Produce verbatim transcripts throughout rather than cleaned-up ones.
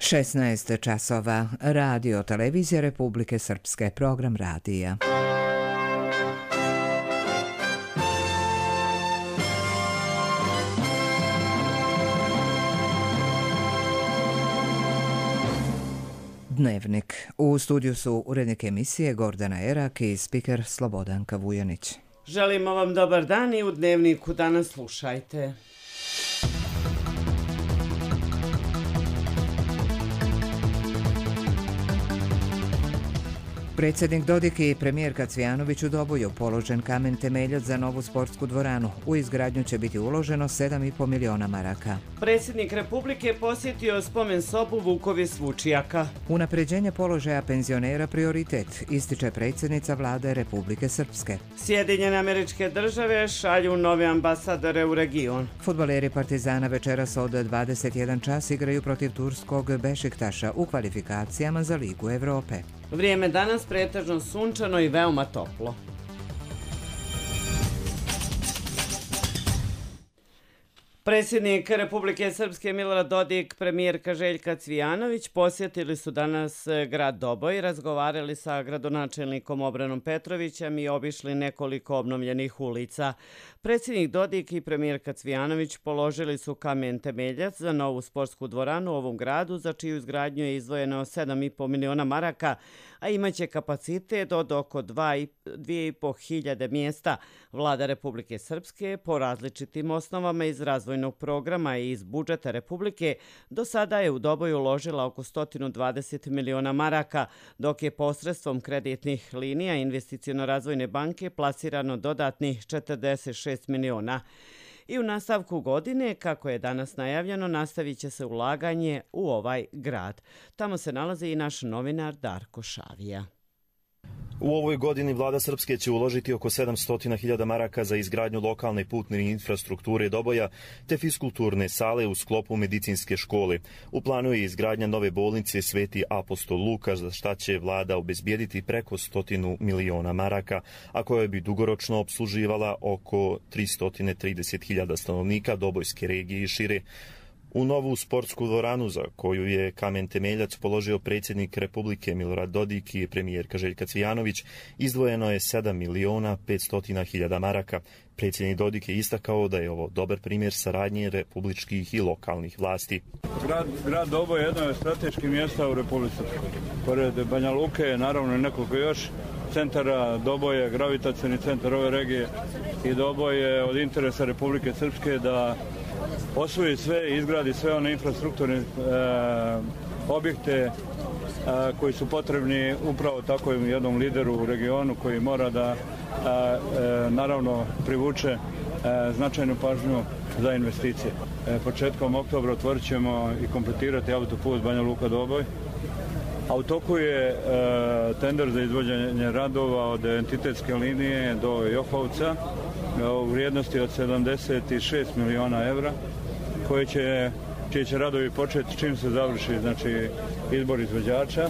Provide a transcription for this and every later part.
šesnaest časova. Radio Televizija Republike Srpske, program radija. Dnevnik. U studiju su urednik emisije Gordana Erak i spiker Slobodanka Vujanić. Želimo vam dobar dan i u Dnevniku danas slušajte. Predsjednik Dodik i premijerka Cvijanović u Doboju, položen kamen temeljac za novu sportsku dvoranu. U izgradnju će biti uloženo sedam i pol miliona maraka. Predsjednik Republike posjetio spomen sobu Vukovis Vučijaka. Unapređenje položaja penzionera prioritet, ističe predsjednica vlade Republike Srpske. Sjedinjene Američke Države šalju nove ambasadore u region. Fudbaleri Partizana večeras od dvadeset jedan čas igraju protiv turskog Bešiktaša u kvalifikacijama za Ligu Evrope. Vrijeme danas pretežno sunčano i veoma toplo. Predsjednik Republike Srpske Milorad Dodik, premijerka Željka Cvijanović posjetili su danas grad Doboj, razgovarali sa gradonačelnikom Obranom Petrovićem i obišli nekoliko obnovljenih ulica. Predsjednik Dodik i premijerka Cvijanović položili su kamen temeljac za novu sportsku dvoranu u ovom gradu, za čiju izgradnju je izdvojeno sedam i pol miliona maraka, a imaće kapacitet od oko dvije i po hiljade mjesta. Vlada Republike Srpske po različitim osnovama iz razvojnog programa i iz budžeta Republike do sada je u Doboju uložila oko sto dvadeset miliona maraka, dok je posredstvom kreditnih linija Investiciono-razvojne banke plasirano dodatnih četrdeset šest miliona. I u nastavku godine, kako je danas najavljeno, nastavit će se ulaganje u ovaj grad. Tamo se nalazi i naš novinar Darko Šavija. U ovoj godini vlada Srpske će uložiti oko sedamsto hiljada maraka za izgradnju lokalne putne infrastrukture Doboja te fiskulturne sale u sklopu medicinske škole. U planu je izgradnja nove bolnice Sveti apostol Luka, za šta će vlada obezbijediti preko stotinu miliona maraka, a koja bi dugoročno opsluživala oko tristo trideset hiljada stanovnika Dobojske regije i šire. U novu sportsku dvoranu, za koju je kamen temeljac položio predsjednik Republike Milorad Dodik i premijerka Željka Cvijanović, izdvojeno je sedam miliona petsto hiljada maraka. Predsjednik Dodik je istakao da je ovo dobar primjer saradnje republičkih i lokalnih vlasti. Grad, grad Doboj je jedno od strateških mjesta u Republici. Pored Banja Luke, naravno i nekoliko još centara. Doboj je gravitacioni centar ove regije i Doboj je od interesa Republike Srpske da osvoji sve i izgradi sve one infrastrukturne e, objekte e, koji su potrebni upravo tako jednom lideru u regionu koji mora da e, e, naravno privuče e, značajnu pažnju za investicije. E, početkom oktobra otvorit ćemo i kompletirati autoput Banja Luka Doboj. A u toku je e, tender za izvođenje radova od entitetske linije do Johovca e, u vrijednosti od sedamdeset šest miliona evra, koje će, čiji će radovi početi čim se završi, znači, izbor izvođača.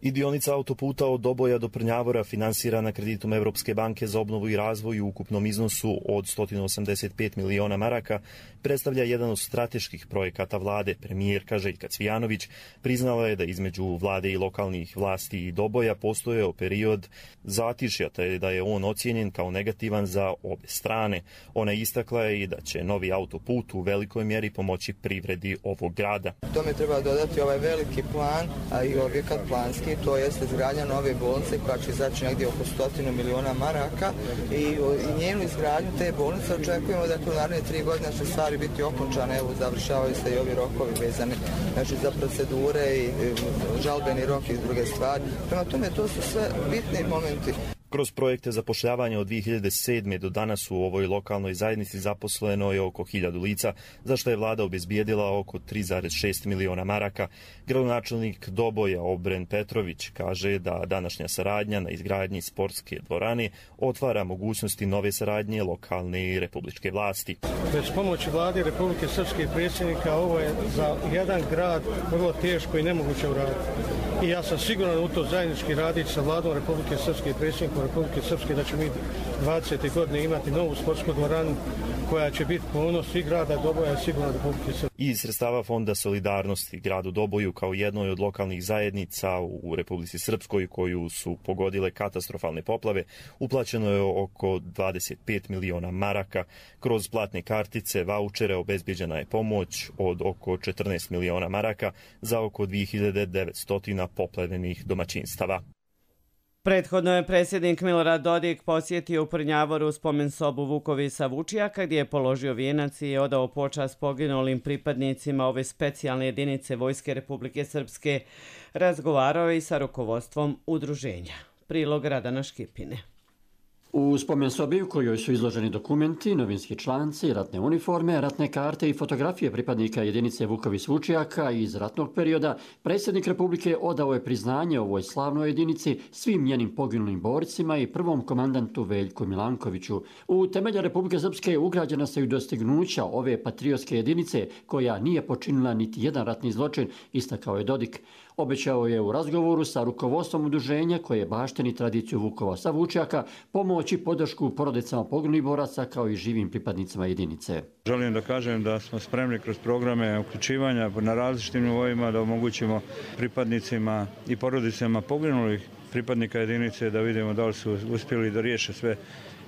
I dionica autoputa od Doboja do Prnjavora, finansirana kreditom Evropske banke za obnovu i razvoj u ukupnom iznosu od sto osamdeset pet miliona maraka, predstavlja jedan od strateških projekata vlade. Premijerka Željka Cvijanović priznala je da između vlade i lokalnih vlasti i Doboja postojao period zatišja, te da je on ocijenjen kao negativan za obe strane. Ona istakla je i da će novi autoput u velikoj mjeri pomoći privredi ovog grada. Tome treba dodati ovaj veliki plan, a i objekat planski, to jeste izgradnja nove bolnice koja će izaći negdje oko stotinu miliona maraka i, i njenu izgradnju te bolnice očekujemo da u naredne tri godine će stvari biti okončane, evo završavaju se i ovi rokovi vezani, znači za procedure i, i žalbeni rok i druge stvari. Prema tome to su sve bitni momenti. Kroz projekte zapošljavanja od dvije hiljade sedme. do danas u ovoj lokalnoj zajednici zaposleno je oko hiljadu lica, za što je vlada obezbijedila oko tri zarez šest miliona maraka. Gradonačelnik Doboja Obren Petrović kaže da današnja saradnja na izgradnji sportske dvorane otvara mogućnosti nove saradnje lokalne i republičke vlasti. Bez pomoći vlade Republike Srpske i predsjednika ovo je za jedan grad vrlo teško i nemoguće uraditi. I ja sam siguran u to zajednički raditi sa vladom Republike Srpske i predsjednikom Republike Srpske da ćemo dvadesete godine imati novu sportsku dvoranu koja će biti ponos i grada Doboja i sigurno Republike Srbije. Iz sredstava Fonda solidarnosti gradu Doboju kao jednoj od lokalnih zajednica u Republici Srpskoj koju su pogodile katastrofalne poplave uplaćeno je oko dvadeset pet miliona maraka. Kroz platne kartice, vaučere obezbeđena je pomoć od oko četrnaest miliona maraka za oko dve hiljade devetsto poplavljenih domaćinstava. Prethodno je predsjednik Milorad Dodik posjetio u Prnjavoru spomen sobu Vukovisa Vučijaka gdje je položio vijenac i odao počast poginulim pripadnicima ove specijalne jedinice Vojske Republike Srpske. Razgovarao je i sa rukovodstvom udruženja. Prilog Radana Škipine. U spomen sobi u kojoj su izloženi dokumenti, novinski članci, ratne uniforme, ratne karte i fotografije pripadnika jedinice Vukovis Vučijaka iz ratnog perioda, predsjednik Republike odao je priznanje ovoj slavnoj jedinici, svim njenim poginulim borcima i prvom komandantu Veljku Milankoviću. U temelje Republike Srpske ugrađena se i dostignuća ove patriotske jedinice koja nije počinila niti jedan ratni zločin, istakao je Dodik. Obećao je u razgovoru sa rukovodstvom udruženja koje bašteni tradiciju Vukova sa Vučijaka pomoći podršku porodicama poginulih boraca kao i živim pripadnicima jedinice. Želim da kažem da smo spremni kroz programe uključivanja na različitim nivoima da omogućimo pripadnicima i porodicama poginulih pripadnika jedinice da vidimo da li su uspjeli da riješe sve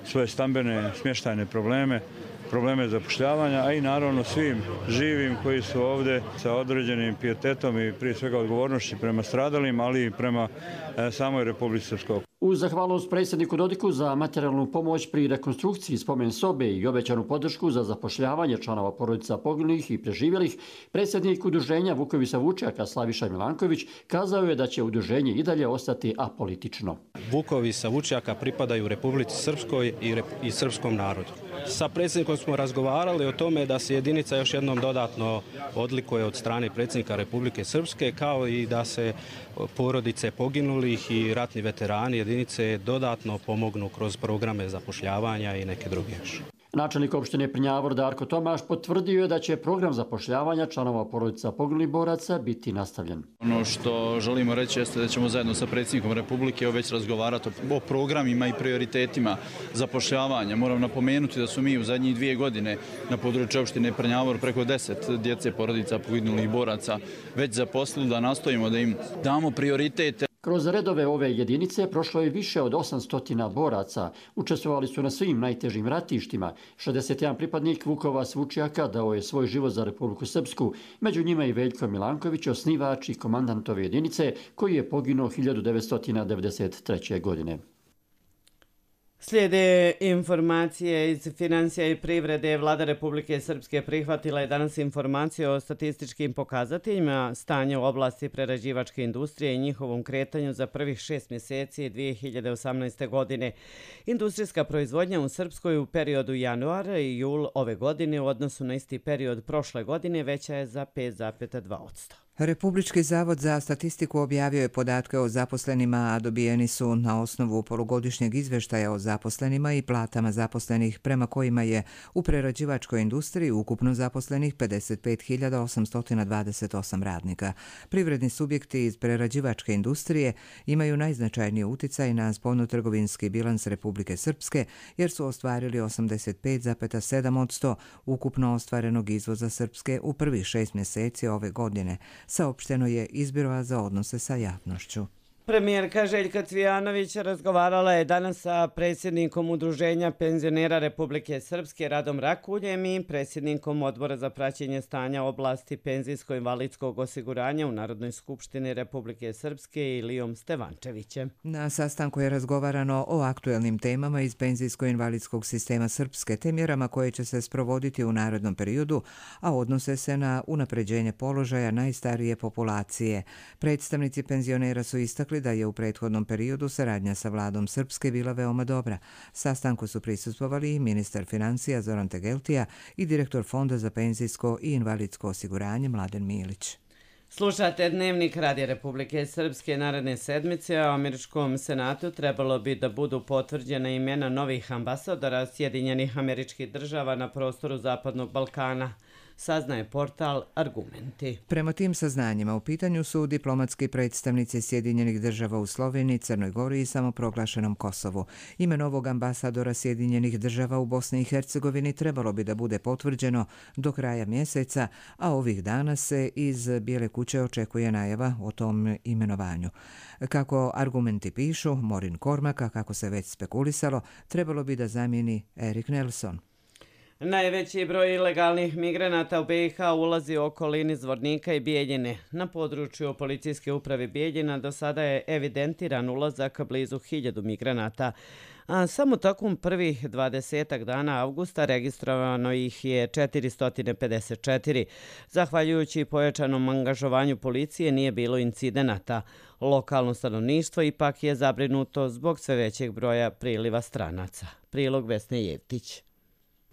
svoje stambene smještajne probleme, probleme zapošljavanja, a i naravno svim živim koji su ovdje sa određenim pijetetom i prije svega odgovornošću prema stradalim, ali i prema e, samoj Republici Srpskoj. Uz zahvalnost predsjedniku Dodiku za materijalnu pomoć pri rekonstrukciji spomen sobe i obećanu podršku za zapošljavanje članova porodica poginulih i preživjelih, predsjednik udruženja Vukovisa Vučijaka Slaviša Milanković kazao je da će udruženje i dalje ostati apolitično. Vukovisa Vučijaka pripadaju Republici Srpskoj i, rep i srpskom narodu. Sa predsjednikom smo razgovarali o tome da se jedinica još jednom dodatno odlikuje od strane predsjednika Republike Srpske, kao i da se porodice poginulih i ratni veterani jedinice dodatno pomognu kroz programe zapošljavanja i neke druge još. Načelnik opštine Prnjavor Darko Tomaš potvrdio je da će program zapošljavanja članova porodica poginulih boraca biti nastavljen. Ono što želimo reći jeste da ćemo zajedno sa predsjednikom Republike već razgovarati o programima i prioritetima zapošljavanja. Moram napomenuti da su mi u zadnjih dvije godine na području opštine Prnjavor preko deset djece porodica poginulih boraca već zaposlili, da nastojimo da im damo prioritete. Kroz redove ove jedinice prošlo je više od osamsto boraca. Učestvovali su na svim najtežim ratištima. šezdeset jedan pripadnik Vukovas Vučijaka dao je svoj život za Republiku Srpsku. Među njima i Veljko Milanković, osnivač i komandant ove jedinice, koji je poginuo hiljadu devetsto devedeset treće. godine. Slijede informacije iz financija i privrede. Vlada Republike Srpske prihvatila je danas informacije o statističkim pokazateljima stanja u oblasti prerađivačke industrije i njihovom kretanju za prvih šest mjeseci dvije hiljade osamnaeste. godine. Industrijska proizvodnja u Srpskoj u periodu januar i jul ove godine u odnosu na isti period prošle godine veća je za pet zarez dva posto. Republički zavod za statistiku objavio je podatke o zaposlenima, a dobijeni su na osnovu polugodišnjeg izveštaja o zaposlenima i platama zaposlenih, prema kojima je u prerađivačkoj industriji ukupno zaposlenih pedeset pet hiljada osamsto dvadeset osam radnika. Privredni subjekti iz prerađivačke industrije imaju najznačajniji uticaj na spoljnotrgovinski bilans Republike Srpske, jer su ostvarili osamdeset pet zarez sedam posto ukupno ostvarenog izvoza Srpske u prvih šest mjeseci ove godine, saopšteno je iz Biroa za odnose sa javnošću. Premijerka Željka Cvijanović razgovarala je danas sa predsjednikom Udruženja penzionera Republike Srpske Radom Rakuljem i predsjednikom Odbora za praćenje stanja oblasti penzijsko-invalidskog osiguranja u Narodnoj skupštini Republike Srpske Ilijom Stevančevićem. Na sastanku je razgovarano o aktuelnim temama iz penzijsko-invalidskog sistema Srpske te mjerama koje će se sprovoditi u narednom periodu, a odnose se na unapređenje položaja najstarije populacije. Predstavnici penzionera su istakli da je u prethodnom periodu saradnja sa vladom Srpske bila veoma dobra. Sastanku su prisustvovali i ministar financija Zoran Tegeltija i direktor Fonda za penzijsko i invalidsko osiguranje Mladen Milić. Slušate Dnevnik Radija Republike Srpske. Naredne sedmice u Američkom senatu trebalo bi da budu potvrđena imena novih ambasadora Sjedinjenih Američkih Država na prostoru Zapadnog Balkana. saznaje portal Argumenti. Prema tim saznanjima u pitanju su diplomatski predstavnici Sjedinjenih država u Sloveniji, Crnoj Gori i samoproglašenom Kosovu. Ime novog ambasadora Sjedinjenih država u Bosni i Hercegovini trebalo bi da bude potvrđeno do kraja mjeseca, a ovih dana se iz Bijele kuće očekuje najava o tom imenovanju. Kako Argumenti pišu, Morin Kormaka, kako se već spekulisalo, trebalo bi da zamijeni Erik Nelson. Najveći broj ilegalnih migranata u B i H ulazi u okolini Zvornika i Bijeljine. Na području policijske uprave Bijeljina do sada je evidentiran ulazak blizu hiljadu migranata. A samo tokom prvih dvadesetak dana avgusta registrovano ih je četiristo pedeset četiri. Zahvaljujući pojačanom angažovanju policije nije bilo incidenata. Lokalno stanovništvo ipak je zabrinuto zbog sve većeg broja priliva stranaca. Prilog Vesne Jevtić.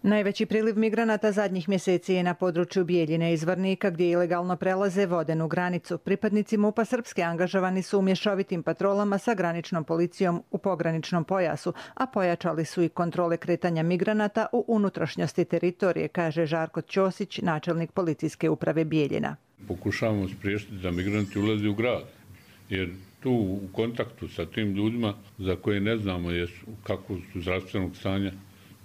Najveći priliv migranata zadnjih mjeseci je na području Bijeljine i Zvornika gdje ilegalno prelaze vodenu granicu. Pripadnici MUP-a Srpske angažovani su u mješovitim patrolama sa graničnom policijom u pograničnom pojasu, a pojačali su i kontrole kretanja migranata u unutrašnjosti teritorije, kaže Žarko Ćosić, načelnik policijske uprave Bijeljina. Pokušavamo spriječiti da migranti ulaze u grad, jer tu u kontaktu sa tim ljudima za koje ne znamo jesu, kako su zdravstvenog stanja,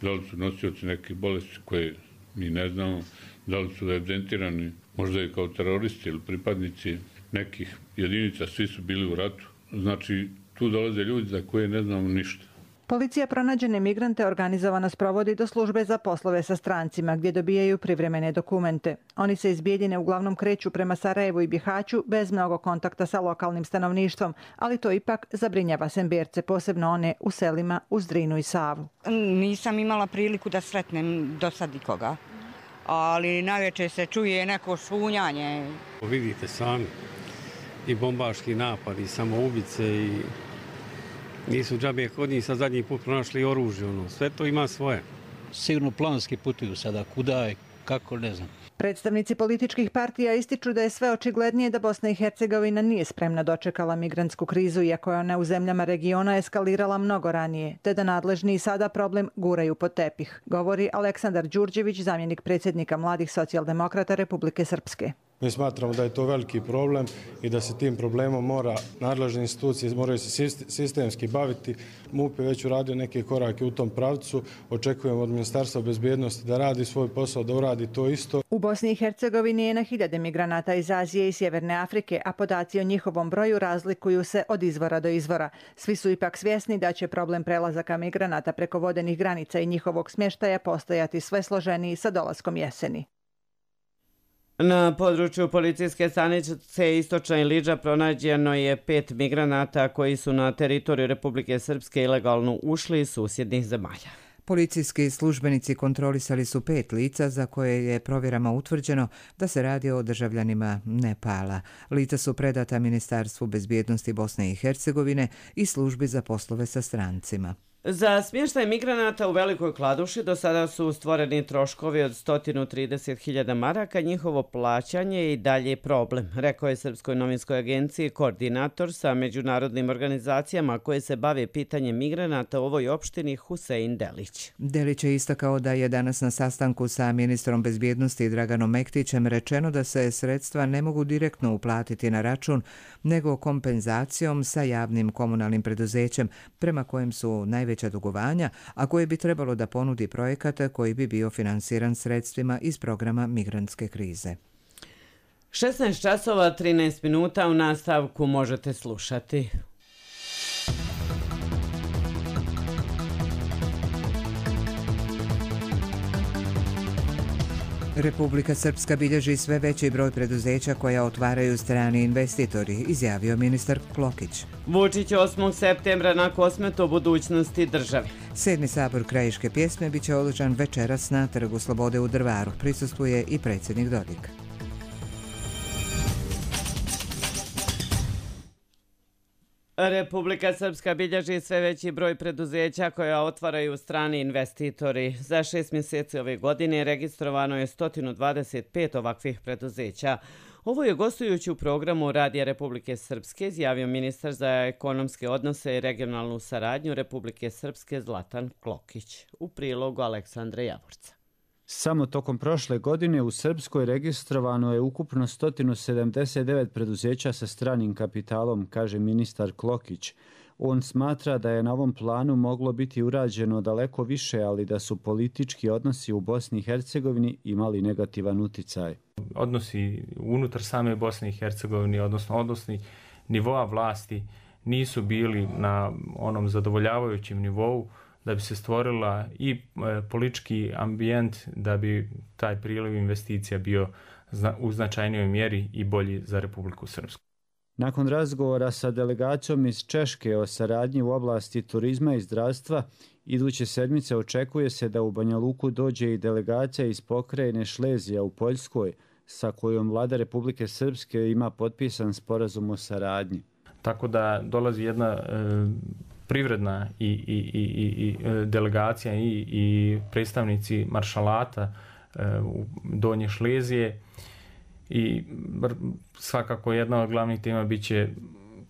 da li su nosioci neke bolesti koje mi ne znamo, da li su evidentirani možda i kao teroristi ili pripadnici nekih jedinica, svi su bili u ratu. Znači, tu dolaze ljudi za koje ne znamo ništa. Policija pronađene migrante organizovano sprovodi do službe za poslove sa strancima gdje dobijaju privremene dokumente. Oni se iz Bijeljine uglavnom kreću prema Sarajevu i Bihaću bez mnogo kontakta sa lokalnim stanovništvom, ali to ipak zabrinjava Semberce, posebno one u selima uz Drinu i Savu. Nisam imala priliku da sretnem do sad nikoga, ali najveće se čuje neko šunjanje. Vidite sami i bombaški napad i samoubice i nisu džabe kod njih sa zadnji put pronašli oružje. Ono. Sve to ima svoje. Sigurno planski putuju sada. Kuda i kako, ne znam. Predstavnici političkih partija ističu da je sve očiglednije da Bosna i Hercegovina nije spremna dočekala migrantsku krizu, iako je ona u zemljama regiona eskalirala mnogo ranije, te da nadležni sada problem guraju pod tepih, govori Aleksandar Đurđević, zamjenik predsjednika Mladih socijaldemokrata Republike Srpske. Mi smatramo da je to veliki problem i da se tim problemom mora nadležne institucije moraju se sistemski baviti. MUP je već uradio neke korake u tom pravcu. Očekujemo od Ministarstva bezbjednosti da radi svoj posao, da uradi to isto. U Bosni i Hercegovini je na hiljade migranata iz Azije i Sjeverne Afrike, a podaci o njihovom broju razlikuju se od izvora do izvora. Svi su ipak svjesni da će problem prelazaka migranata preko vodenih granica i njihovog smještaja postojati sve složeniji sa dolaskom jeseni. Na području policijske stanice Istočna Ilidža pronađeno je pet migranata koji su na teritoriju Republike Srpske ilegalno ušli iz susjednih zemalja. Policijski službenici kontrolisali su pet lica za koje je provjerama utvrđeno da se radi o državljanima Nepala. Lica su predata Ministarstvu bezbjednosti Bosne i Hercegovine i službi za poslove sa strancima. Za smještaj migranata u Velikoj Kladuši do sada su stvoreni troškovi od sto trideset hiljada maraka. Njihovo plaćanje je i dalje problem, rekao je Srpskoj novinskoj agenciji koordinator sa međunarodnim organizacijama koje se bave pitanjem migranata u ovoj opštini Husein Delić. Delić je istakao da je danas na sastanku sa ministrom bezbjednosti Draganom Mektićem rečeno da se sredstva ne mogu direktno uplatiti na račun, nego kompenzacijom sa javnim komunalnim preduzećem prema kojem su najveći dugovanja, a koje bi trebalo da ponudi projekat koji bi bio finansiran sredstvima iz programa migrantske krize. šesnaest časova trinaest minuta u nastavku možete slušati. Republika Srpska bilježi sve veći broj preduzeća koja otvaraju strani investitori, izjavio ministar Klokić. Vučić osmog septembra na Kosmetu o budućnosti države. Sedmi sabor krajiške pjesme biće održan večeras na Trgu Slobode u Drvaru. Prisustvuje i predsjednik Dodik. Republika Srpska bilježi sve veći broj preduzeća koja otvaraju strani investitori. Za šest mjeseci ove godine registrovano je sto dvadeset pet ovakvih preduzeća. Ovo je gostujući u programu Radija Republike Srpske izjavio ministar za ekonomske odnose i regionalnu saradnju Republike Srpske Zlatan Klokić. U prilogu Aleksandra Javorca. Samo tokom prošle godine u Srpskoj registrovano je ukupno sto sedamdeset devet preduzeća sa stranim kapitalom, kaže ministar Klokić. On smatra da je na ovom planu moglo biti urađeno daleko više, ali da su politički odnosi u Bosni i Hercegovini imali negativan uticaj. Odnosi unutar same Bosne i Hercegovine, odnosno odnosi nivoa vlasti, nisu bili na onom zadovoljavajućem nivou da bi se stvorila i politički ambijent da bi taj priliv investicija bio u značajnijoj mjeri i bolji za Republiku Srpsku. Nakon razgovora sa delegacijom iz Češke o saradnji u oblasti turizma i zdravstva, iduće sedmice očekuje se da u Banja Luku dođe i delegacija iz pokrajine Šlezija u Poljskoj, sa kojom vlada Republike Srpske ima potpisan sporazum o saradnji. Tako da dolazi jedna e, privredna i, i, i, i delegacija i, i predstavnici maršalata e, u Donje Šlezije i svakako jedna od glavnih tema bit će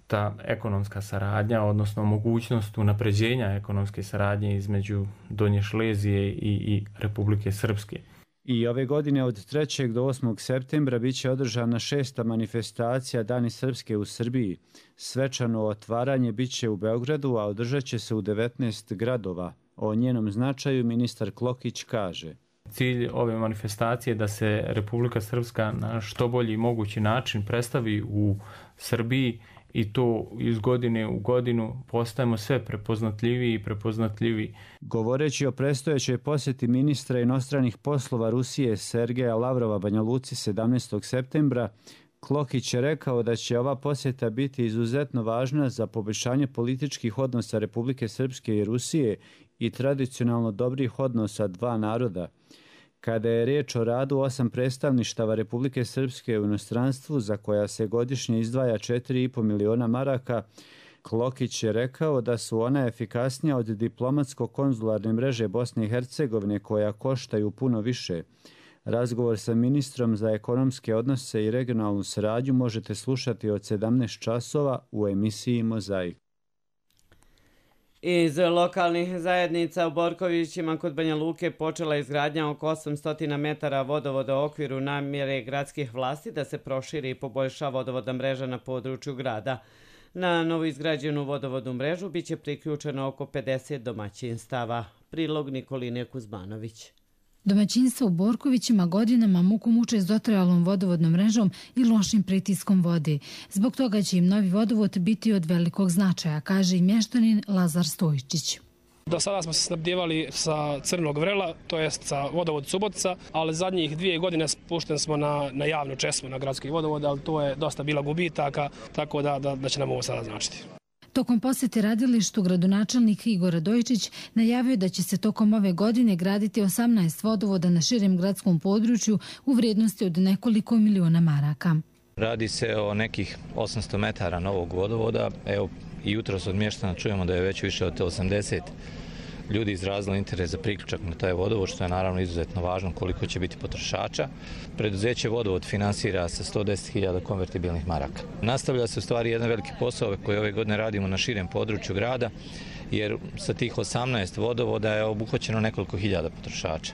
ta ekonomska saradnja, odnosno mogućnost unapređenja ekonomske saradnje između Donje Šlezije i, i Republike Srpske. I ove godine od trećeg do osmog septembra bit će održana šesta manifestacija Dani Srpske u Srbiji. Svečano otvaranje bit će u Beogradu, a održat će se u devetnaest gradova. O njenom značaju ministar Klokić kaže: Cilj ove manifestacije je da se Republika Srpska na što bolji mogući način predstavi u Srbiji i to iz godine u godinu postajemo sve prepoznatljiviji i prepoznatljiviji. Govoreći o predstojećoj posjeti ministra inostranih poslova Rusije Sergeja Lavrova Banja Luci sedamnaestog septembra, Klokić je rekao da će ova posjeta biti izuzetno važna za poboljšanje političkih odnosa Republike Srpske i Rusije i tradicionalno dobrih odnosa dva naroda. Kada je riječ o radu osam predstavništava Republike Srpske u inostranstvu, za koja se godišnje izdvaja četiri i po miliona maraka, Klokić je rekao da su ona efikasnija od diplomatsko-konzularne mreže Bosne i Hercegovine, koja koštaju puno više. Razgovor sa ministrom za ekonomske odnose i regionalnu saradnju možete slušati od sedamnaest časova u emisiji Mozaik. Iz lokalnih zajednica u Borkovićima kod Banja Luke počela izgradnja oko osamsto metara vodovoda u okviru namjere gradskih vlasti da se proširi i poboljša vodovodna mreža na području grada. Na novoizgrađenu vodovodnu mrežu biće priključeno oko pedeset domaćinstava. Prilog Nikoline Kuzmanović. Domaćinstva u Borkovićima godinama muku muče s dotrajalom vodovodnom mrežom i lošim pritiskom vode. Zbog toga će im novi vodovod biti od velikog značaja, kaže i mještanin Lazar Stojčić. Do sada smo se snabdjevali sa Crnog vrela, to jest sa vodovod Subotica, ali zadnjih dvije godine spušten smo na, na javnu česmu, na gradski vodovod, ali to je dosta bila gubitaka, tako da, da, da će nam ovo sada značiti. Tokom posjete radilištu gradonačelnik Igor Radojičić najavio da će se tokom ove godine graditi osamnaest vodovoda na širem gradskom području u vrijednosti od nekoliko miliona maraka. Radi se o nekih osamsto metara novog vodovoda. Evo, i jutros od mještana čujemo da je već više od osamdeset ljudi izrazilo interes za priključak na taj vodovod, što je naravno izuzetno važno koliko će biti potrošača. Preduzeće Vodovod finansira sa sto deset hiljada konvertibilnih maraka. Nastavlja se u stvari jedan veliki posao koji ove godine radimo na širem području grada, jer sa tih osamnaest vodovoda je obuhvaćeno nekoliko hiljada potrošača.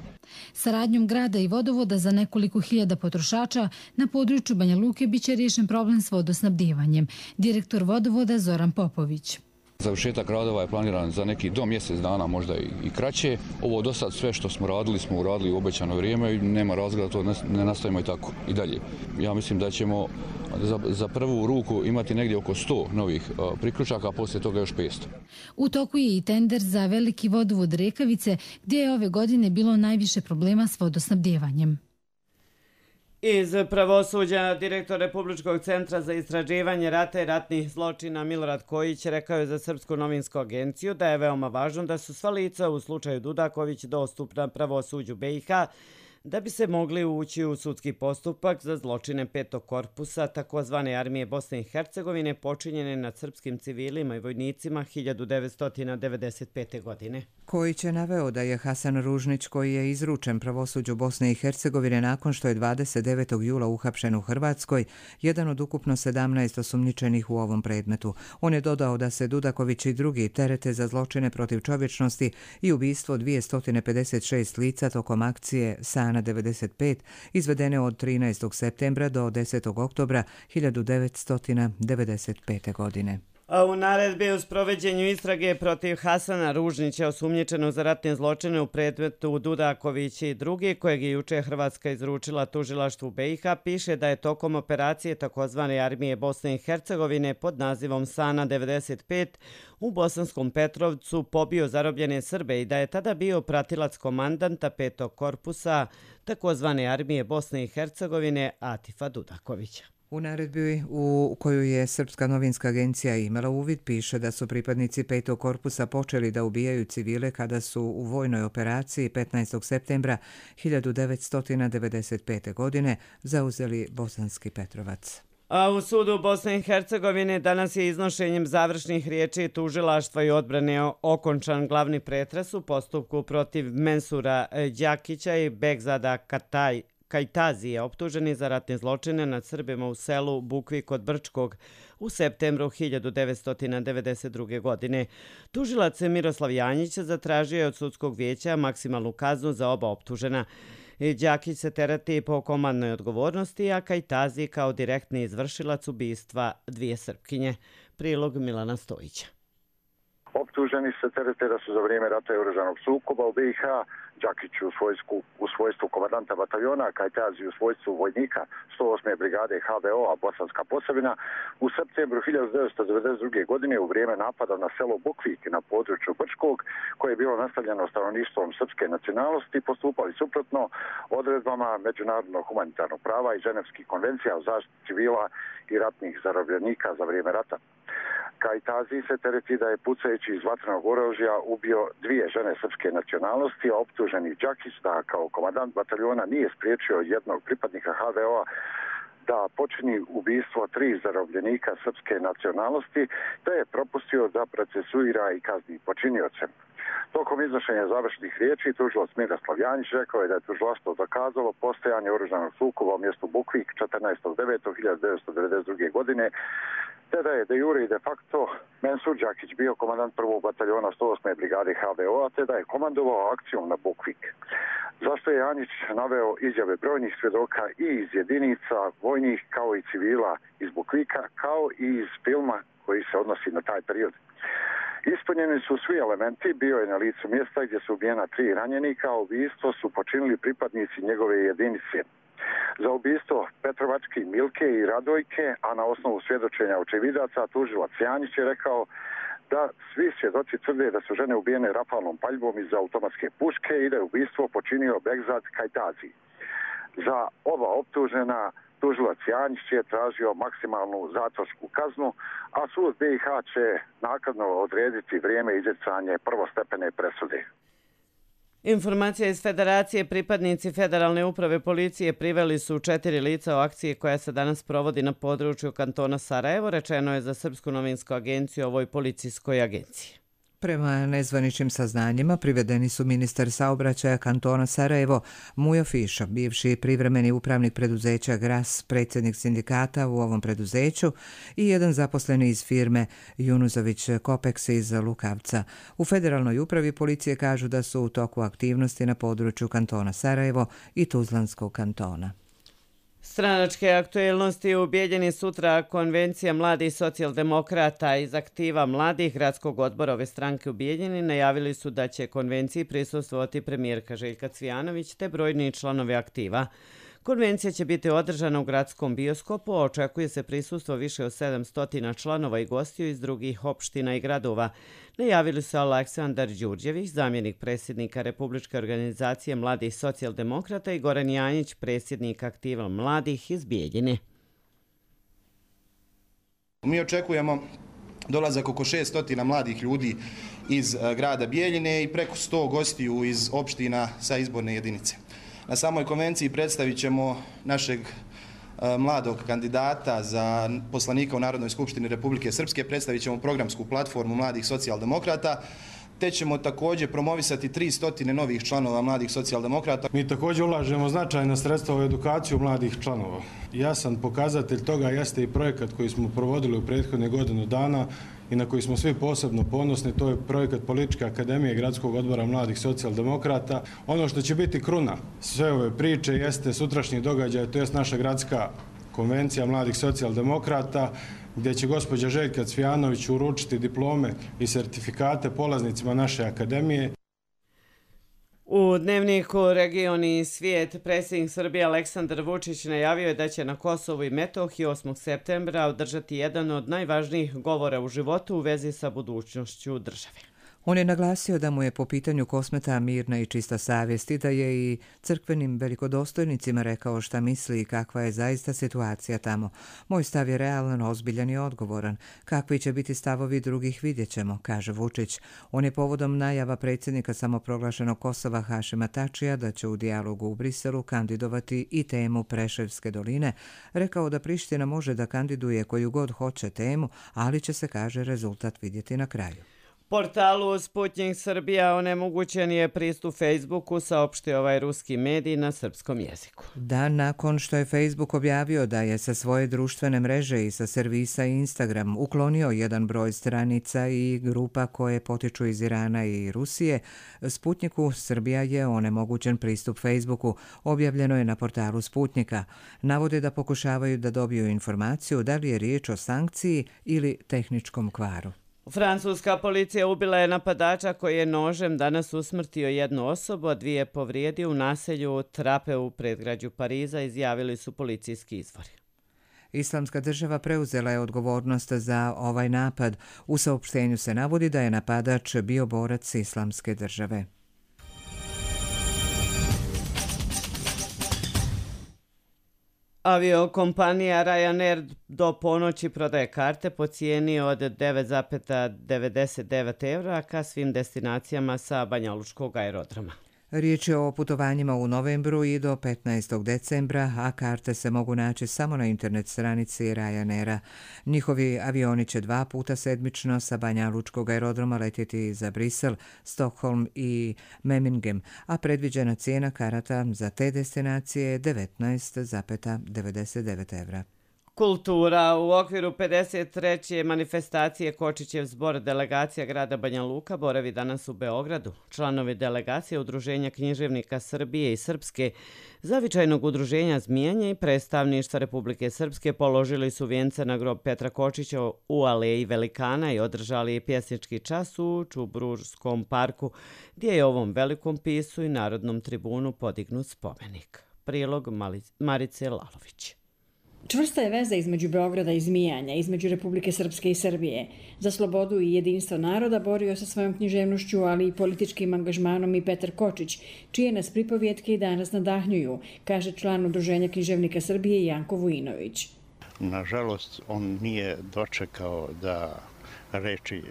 Saradnjom grada i vodovoda za nekoliko hiljada potrošača na području Banja Luke biće riješen problem s vodosnabdijevanjem. Direktor vodovoda Zoran Popović. Završetak radova je planiran za neki do mjesec dana, možda i kraće. Ovo do sad sve što smo radili, smo uradili u obećano vrijeme i nema razloga da to ne nastavimo i tako i dalje. Ja mislim da ćemo za, za prvu ruku imati negdje oko sto novih priključaka, a poslije toga još petsto. U toku je i tender za veliki vodovod Rekavice, gdje je ove godine bilo najviše problema s vodosnabdijevanjem. Iz pravosuđa, direktor Republičkog centra za istraživanje rata i ratnih zločina Milorad Kojić rekao je za Srpsku novinsku agenciju da je veoma važno da su sva lica u slučaju Dudaković dostupna pravosuđu B i H, da bi se mogli ući u sudski postupak za zločine petog korpusa takozvane armije Bosne i Hercegovine počinjene nad srpskim civilima i vojnicima hiljadu devetsto devedeset pete. godine. Kojić je naveo da je Hasan Ružnić, koji je izručen pravosuđu Bosne i Hercegovine nakon što je dvadeset devetog jula uhapšen u Hrvatskoj, jedan od ukupno sedamnaest osumnjičenih u ovom predmetu. On je dodao da se Dudaković i drugi terete za zločine protiv čovječnosti i ubistvo dvjesto pedeset šest lica tokom akcije Sana devedeset pet izvedene od trinaestog septembra do desetog oktobra hiljadu devetsto devedeset pete. godine. A u naredbi u sproveđenju istrage protiv Hasana Ružnića, osumnjičenog za ratne zločine u predmetu Dudaković i drugi, kojeg je juče Hrvatska izručila tužilaštvu B i H, piše da je tokom operacije takozvane armije Bosne i Hercegovine pod nazivom Sana devedeset pet u Bosanskom Petrovcu pobio zarobljene Srbe i da je tada bio pratilac komandanta petog korpusa takozvane armije Bosne i Hercegovine Atifa Dudakovića. U naredbi u koju je Srpska novinska agencija imala uvid piše da su pripadnici petog korpusa počeli da ubijaju civile kada su u vojnoj operaciji petnaestog septembra hiljadu devetsto devedeset pete. godine zauzeli Bosanski Petrovac. A u sudu Bosne i Hercegovine danas je iznošenjem završnih riječi tužilaštva i odbrane okončan glavni pretres u postupku protiv Mensura Đakića i Begzada Kataj Kajtazije, optuženi za ratne zločine nad Srbima u selu Bukvi kod Brčkog u septembru hiljadu devetsto devedeset druge. godine. Tužilac Miroslav Janjić zatražio je od sudskog vijeća maksimalnu kaznu za oba optužena. Đakić se tereti po komandnoj odgovornosti, a Kajtazi kao direktni izvršilac ubistva dvije Srpkinje. Prilog Milana Stojića. Optuženi se terete da su za vrijeme rata i oružanog sukoba u B i H Đakić u svojstvu, u svojstvu komandanta bataljona, Kajtazi u svojstvu vojnika sto osme brigade H V O-a Bosanska Posavina u septembru hiljadu devetsto devedeset druge. godine u vrijeme napada na selo Bukvik na području Brčkog, koje je bilo nastavljeno stanovništvom srpske nacionalnosti, postupali suprotno odredbama međunarodnog humanitarnog prava i ženevskih konvencija o zaštiti civila i ratnih zarobljenika za vrijeme rata. Kajtazi se tereti da je pucajući iz vatrenog oružja ubio dvije žene srpske nacionalnosti, a optuženi Đakić da kao komandant bataljona nije spriječio jednog pripadnika H V O-a da počini ubistvo tri zarobljenika srpske nacionalnosti, te je propustio da procesuira i kazni počinioce. Tokom iznošenja završnih riječi tužilac Miroslav Janjić rekao je da je tužilaštvo dokazalo postojanje oružanog sukoba u mjestu Bukvik četrnaestog devetog hiljadu devetsto devedeset druge. godine, te da je de jure i de facto Mensur Đakić bio komandant prvog bataljona sto osme brigade H V O-a, te da je komandovao akcijom na Bukvik. Zašto je Janjić naveo izjave brojnih svjedoka i iz jedinica vojnih kao i civila iz Bukvika, kao i iz filma koji se odnosi na taj period. Ispunjeni su svi elementi, bio je na licu mjesta gdje su ubijena tri ranjenika, a ubistvo su počinili pripadnici njegove jedinice. Za ubistvo Petrovački, Milke i Radojke, a na osnovu svjedočenja očevidaca, tužilac Janjić je rekao da svi svjedoci tvrde da su žene ubijene rafalnom paljbom iz automatske puške i da je ubistvo počinio Begzad Kajtazi. Za oba optužena tužilac Janjić je tražio maksimalnu zatvorsku kaznu, a sud B i H će naknadno odrediti vrijeme izricanja prvostepene presude. Informacija iz Federacije: pripadnici Federalne uprave policije priveli su četiri lica o akciji koja se danas provodi na području kantona Sarajevo, rečeno je za Srpsku novinsku agenciju ovoj policijskoj agenciji. Prema nezvaničnim saznanjima privedeni su ministar saobraćaja kantona Sarajevo Mujo Fiša, bivši privremeni upravnik preduzeća Gras, predsjednik sindikata u ovom preduzeću i jedan zaposleni iz firme Junuzović Kopeks iz Lukavca. U Federalnoj upravi policije kažu da su u toku aktivnosti na području kantona Sarajevo i Tuzlanskog kantona. Stranačke aktuelnosti: u Bijeljini sutra konvencija mladih socijaldemokrata iz aktiva mladih gradskog odbora ove stranke u Bijeljini najavili su da će konvenciji prisustvovati premijerka Željka Cvijanović te brojni članovi aktiva. Konvencija će biti održana u gradskom bioskopu, a očekuje se prisustvo više od sedamsto članova i gostiju iz drugih opština i gradova. Najavili su Aleksandar Đurđević, zamjenik predsjednika Republičke organizacije mladih socijaldemokrata, i Goran Janjić, predsjednik aktiva mladih iz Bijeljine. Mi očekujemo dolazak oko šesto mladih ljudi iz grada Bijeljine i preko sto gostiju iz opština sa izborne jedinice. Na samoj konvenciji predstavit ćemo našeg mladog kandidata za poslanika u Narodnoj skupštini Republike Srpske, predstavit ćemo programsku platformu mladih socijaldemokrata, te ćemo također promovisati tristo novih članova mladih socijaldemokrata. Mi također ulažemo značajna sredstva u edukaciju mladih članova. Jasan pokazatelj toga jeste i projekat koji smo provodili u prethodne godinu dana i na koji smo svi posebno ponosni, to je projekat Političke akademije Gradskog odbora mladih socijaldemokrata. Ono što će biti kruna sve ove priče jeste sutrašnji događaj, to jest naša gradska konvencija mladih socijaldemokrata, gdje će gospođa Željka Cvijanović uručiti diplome i sertifikate polaznicima naše akademije. U dnevniku Region i svijet predsjednik Srbije Aleksandar Vučić najavio je da će na Kosovu i Metohiji osmog septembra održati jedan od najvažnijih govora u životu u vezi sa budućnošću države. On je naglasio da mu je po pitanju Kosmeta mirna i čista savjest i da je i crkvenim velikodostojnicima rekao šta misli i kakva je zaista situacija tamo. Moj stav je realan, ozbiljan i odgovoran. Kakvi će biti stavovi drugih vidjet ćemo, kaže Vučić. On je povodom najava predsjednika samoproglašenog Kosova Hašima Tačija da će u dijalogu u Briselu kandidovati i temu Preševske doline, rekao da Priština može da kandiduje koju god hoće temu, ali će se, kaže, rezultat vidjeti na kraju. Portalu Sputnik Srbija onemogućen je pristup Facebooku, saopštio ovaj ruski medij na srpskom jeziku. Dan nakon što je Facebook objavio da je sa svoje društvene mreže i sa servisa Instagram uklonio jedan broj stranica i grupa koje potiču iz Irana i Rusije, Sputniku Srbija je onemogućen pristup Facebooku, objavljeno je na portalu Sputnika. Navode da pokušavaju da dobiju informaciju da li je riječ o sankciji ili tehničkom kvaru. Francuska policija ubila je napadača koji je nožem danas usmrtio jednu osobu, a dvije povrijedio u naselju Trape u predgrađu Pariza, izjavili su policijski izvori. Islamska država preuzela je odgovornost za ovaj napad. U saopštenju se navodi da je napadač bio borac Islamske države. Aviokompanija Ryanair do ponoći prodaje karte po cijeni od devet zarez devedeset devet evra ka svim destinacijama sa Banjalučkog aerodroma. Riječ je o putovanjima u novembru i do petnaestog decembra, a karte se mogu naći samo na internet stranici Ryanaira. Njihovi avioni će dva puta sedmično sa Banjalučkog aerodroma letjeti za Brisel, Stockholm i Memmingen, a predviđena cijena karata za te destinacije je devetnaest zarez devedeset devet evra. Kultura. U okviru pedeset treće manifestacije Kočićev zbor delegacija grada Banja Luka boravi danas u Beogradu. Članovi delegacije Udruženja književnika Srbije i Srpske, Zavičajnog udruženja Zmijanje i predstavništva Republike Srpske položili su vijence na grob Petra Kočića u Aleji Velikana i održali pjesnički čas u Čubruškom parku, gdje je ovom velikom pisu i Narodnom tribunu podignut spomenik. Prilog Marice Lalović. Čvrsta je veza između Beograda i Zmijanja, između Republike Srpske i Srbije. Za slobodu i jedinstvo naroda borio se svojom književnošću, ali i političkim angažmanom i Petar Kočić, čije nas pripovjetke i danas nadahnjuju, kaže član Udruženja književnika Srbije Janko Vujinović. Nažalost, on nije dočekao da reči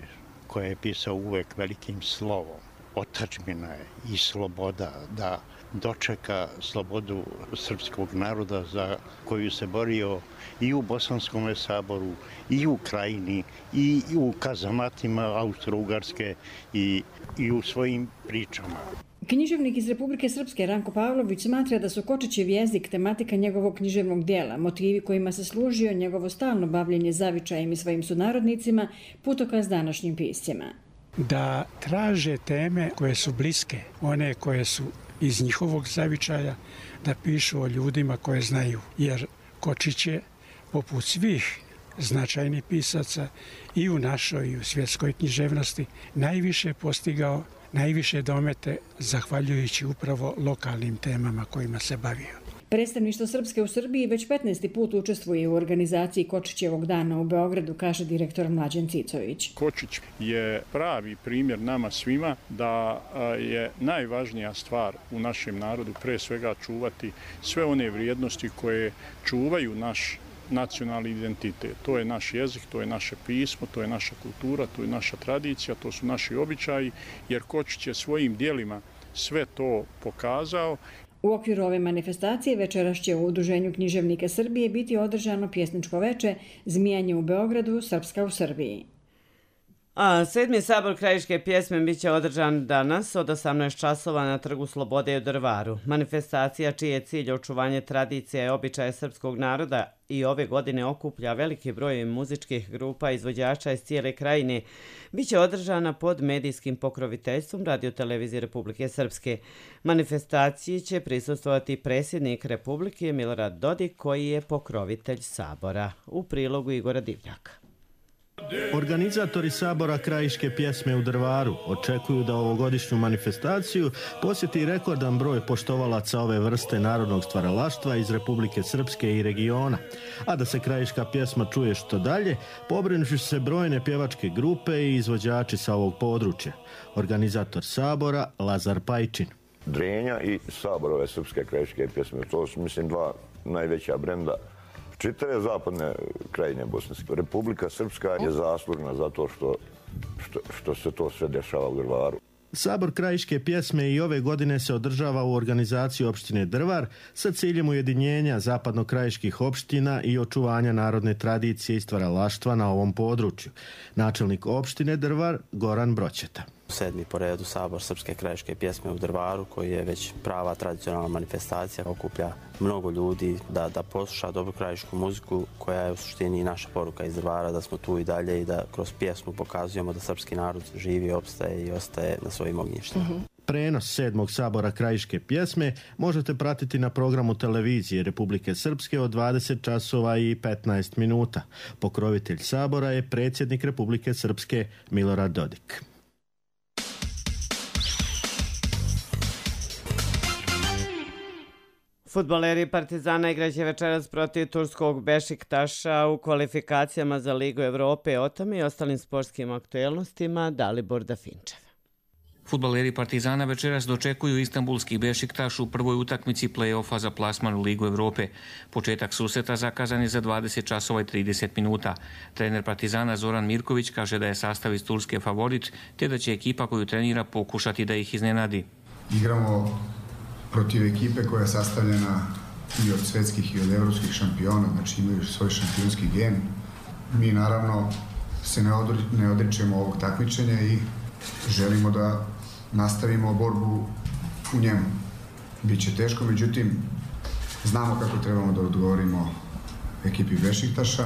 koje je pisao uvek velikim slovom, otadžbina je i sloboda, da dočeka slobodu srpskog naroda za koju se borio i u Bosanskom saboru, i u Krajini, i u kazamatima Austro-Ugarske i, i u svojim pričama. Književnik iz Republike Srpske Ranko Pavlović smatra da su Kočićev jezik tematika njegovog književnog dijela, motivi kojima se služio njegovo stalno bavljenje zavičajem i svojim sunarodnicima, putokaz današnjim piscima. Da traže teme koje su bliske, one koje su iz njihovog zavičaja, da pišu o ljudima koje znaju. Jer Kočić je, poput svih značajnih pisaca i u našoj i u svjetskoj književnosti, najviše postigao, najviše domete zahvaljujući upravo lokalnim temama kojima se bavio. Predstavništvo Srpske u Srbiji već petnaesti put učestvuje u organizaciji Kočićevog dana u Beogradu, kaže direktor Mlađan Cicović. Kočić je pravi primjer nama svima da je najvažnija stvar u našem narodu pre svega čuvati sve one vrijednosti koje čuvaju naš nacionalni identitet. To je naš jezik, to je naše pismo, to je naša kultura, to je naša tradicija, to su naši običaji, jer Kočić je svojim dijelima sve to pokazao. U okviru ove manifestacije večeras će u Udruženju književnika Srbije biti održano pjesničko veče Zmijanje u Beogradu, Srpska u Srbiji. A sedmi sabor krajiške pjesme biće održan danas od osamnaest časova na Trgu Slobode u Drvaru. Manifestacija, čiji je cilj očuvanje tradicije i običaja srpskog naroda, i ove godine okuplja veliki broj muzičkih grupa izvođača iz cijele krajine, biće održana pod medijskim pokroviteljstvom Radio-televizije Republike Srpske. Manifestaciji će prisustvovati predsjednik Republike Milorad Dodik, koji je pokrovitelj sabora. U prilogu Igora Divljaka. Organizatori sabora krajiške pjesme u Drvaru očekuju da ovogodišnju manifestaciju posjeti rekordan broj poštovalaca ove vrste narodnog stvaralaštva iz Republike Srpske i regiona, a da se krajiška pjesma čuje što dalje, pobrinuši se brojne pjevačke grupe i izvođači sa ovog područja. Organizator sabora Lazar Pajčin. Drenja i saborove srpske krajiške pjesme, to su mislim dva najveća brenda čitave zapadne krajine bosanske. Republika Srpska je zaslužna za to što, što, što se to sve dešava u Drvaru. Sabor krajiške pjesme i ove godine se održava u organizaciji opštine Drvar sa ciljem ujedinjenja zapadno-krajiških opština i očuvanja narodne tradicije i stvaralaštva na ovom području. Načelnik opštine Drvar Goran Broćeta. Sedmi po redu sabor srpske krajiške pjesme u Drvaru, koji je već prava tradicionalna manifestacija, okuplja mnogo ljudi da, da posluša dobru krajišku muziku, koja je u suštini i naša poruka iz Drvara, da smo tu i dalje i da kroz pjesmu pokazujemo da srpski narod živi, opstaje i ostaje na svojim ognjištima. Mm-hmm. Prenos sedmog sabora krajiške pjesme možete pratiti na programu televizije Republike Srpske od dvadeset časova i petnaest minuta. Pokrovitelj sabora je predsjednik Republike Srpske Milorad Dodik. Fudbaleri Partizana igraće večeras protiv turskog Bešiktaša u kvalifikacijama za Ligu Evrope. O tome i ostalim sportskim aktuelnostima Dalibor Dafinčev. Fudbaleri Partizana večeras dočekuju istanbulski Bešiktaš u prvoj utakmici play-offa za plasman u Ligu Evrope. Početak susreta zakazan je za dvadeset časova i trideset minuta. Trener Partizana Zoran Mirković kaže da je sastav iz Turske favorit, te da će ekipa koju trenira pokušati da ih iznenadi. Igramo protiv ekipe koja je sastavljena i od svetskih i od evropskih šampiona, znači imaju svoj šampionski gen. Mi naravno se ne, odri, ne odričemo ovog takmičenja i želimo da nastavimo borbu u njemu. Biće teško, međutim, znamo kako trebamo da odgovorimo ekipi Bešiktaša.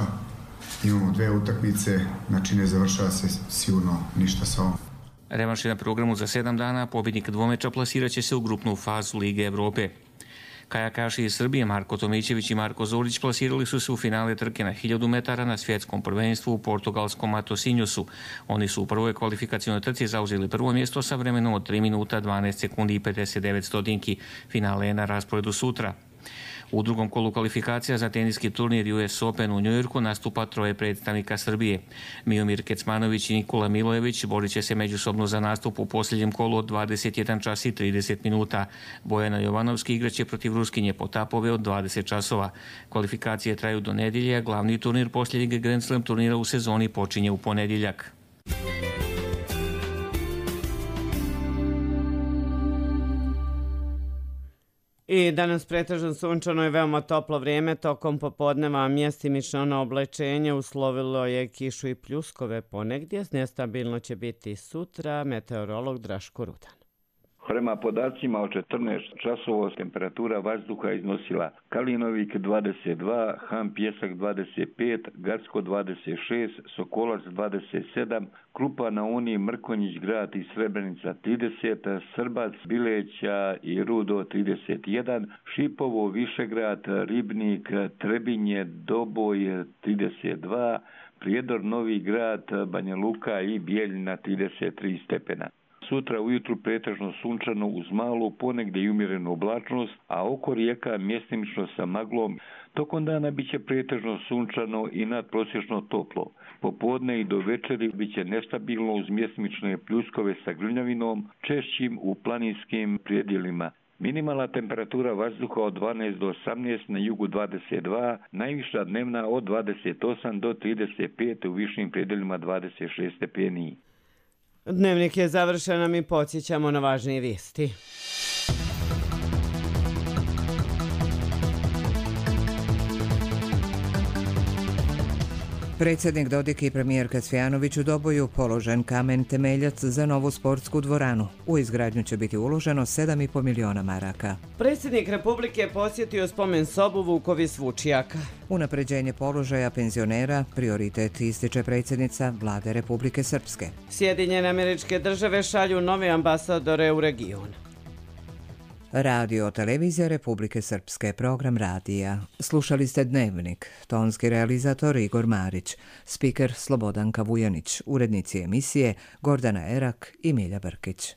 Imamo dve utakmice, znači ne završava se sigurno ništa sa ovom. Revanš je na programu za sedam dana, pobjednik dvomeča plasirat će se u grupnu fazu Lige Evrope. Kajakaši iz Srbije Marko Tomićević i Marko Zorić plasirali su se u finale trke na hiljadu metara na svjetskom prvenstvu u portugalskom Matosinjosu. Oni su u prvoj kvalifikacionoj trci zauzeli prvo mjesto sa vremenom od tri minuta dvanaest sekundi i pedeset devet stotinki. Finale je na rasporedu sutra. U drugom kolu kvalifikacija za teniski turnir U S Open u Njujorku nastupa troje predstavnika Srbije. Miomir Kecmanović i Nikola Milojević borit će se međusobno za nastup u posljednjem kolu od dvadeset jedan čas i trideset minuta. Bojana Jovanovski igraće protiv Ruskinje Potapove od dvadeset časova. Kvalifikacije traju do nedjelje, a glavni turnir posljednjeg Grand Slam turnira u sezoni počinje u ponedjeljak. I danas pretežno sunčano i veoma toplo vrijeme, tokom popodneva mjestimično na oblačenje, uslovilo je kišu i pljuskove ponegdje, nestabilno će biti sutra, meteorolog Draško Rudan. Prema podacima od četrnaest časova temperatura vazduha iznosila Kalinovik dvadeset dva, Han Pjesak dvadeset pet, Gacko dvadeset šest, Sokolac dvadeset sedam, Krupa na Uni, Mrkonjić grad i Srebrenica trideset, Srbac, Bileća i Rudo trideset jedan, Šipovo, Višegrad, Ribnik, Trebinje, Doboj trideset dva, Prijedor, Novi grad, Banja Luka i Bijeljina trideset tri stepena. Sutra ujutru pretežno sunčano uz malu, ponegdje i umjerenu oblačnost, a oko rijeka mjestimično sa maglom. Tokom dana bit će pretežno sunčano i nadprosječno toplo. Popodne i do večeri bit će nestabilno uz mjestimične pljuskove sa grmljavinom, češćim u planinskim predjelima. Minimalna temperatura vazduha od dvanaest do osamnaest, na jugu dvadeset dva, najviša dnevna od dvadeset osam do trideset pet, u višim predjelima dvadeset šest stepeni. Dnevnik je završen, a mi podsjećamo na važnije vijesti. Predsjednik Dodik i premijerka Cvijanović u Doboju položen kamen temeljac za novu sportsku dvoranu. U izgradnju će biti uloženo sedam i pol miliona maraka. Predsjednik Republike posjetio spomen sobu Vukovis Vučijaka. Unapređenje položaja penzionera prioritet ističe predsjednica Vlade Republike Srpske. Sjedinjene Američke Države šalju nove ambasadore u region. Radio televizija Republike Srpske, program radija. Slušali ste Dnevnik, tonski realizator Igor Marić, spiker Slobodanka Vujanić, urednici emisije Gordana Erak i Milja Brkić.